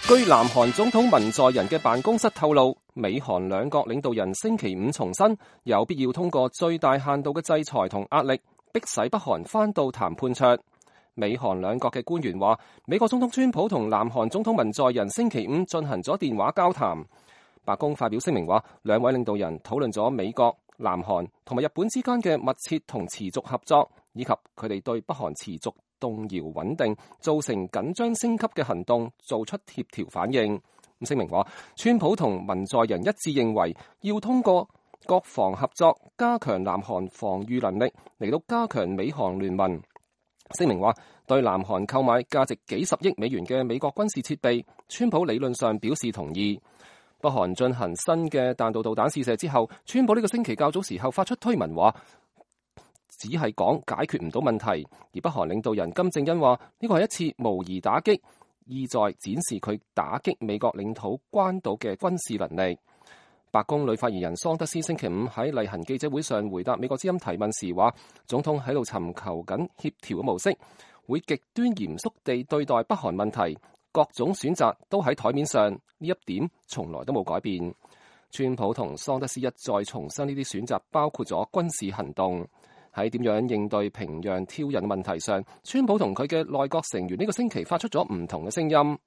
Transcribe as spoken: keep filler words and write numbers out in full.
據南韓總統文在寅嘅辦公室透露，美韓兩國領導人星期五重申有必要通過最大限度嘅制裁同壓力，迫使北韓返到談判桌。美韓兩國嘅官員話，美國總統川普同南韓總統文在寅星期五進行咗電話交談。白宮發表聲明話，兩位領導人討論咗美國、南韓同埋日本之間嘅密切同持續合作，以及佢哋對北韓持續動搖穩定造成緊張升級嘅行動做出協調反應。聲明話，川普同文在寅一致認為要通過國防合作加強南韓防禦能力，嚟到加強美韓聯盟。聲明話，對南韓購買價值幾十億美元嘅美國軍事設備，川普理論上表示同意。北韓進行新嘅彈道導彈試射之後，川普呢個星期較早時候發出推文話，只係講解決唔到問題，而北韓領導人金正恩話呢個係一次模擬打擊，意在展示佢打擊美國領土關島嘅軍事能力。白宮女發言人桑德斯星期五喺例行記者會上回答美國之音提問時話，總統喺度尋求緊協調嘅模式，會極端嚴肅地對待北韓問題，各種選擇都喺台面上，呢一點從來都冇改變。川普同桑德斯一再重申呢啲選擇包括咗軍事行動。喺點樣應對平壤挑釁問題上，川普同佢嘅內閣成員呢個星期發出咗唔同嘅聲音。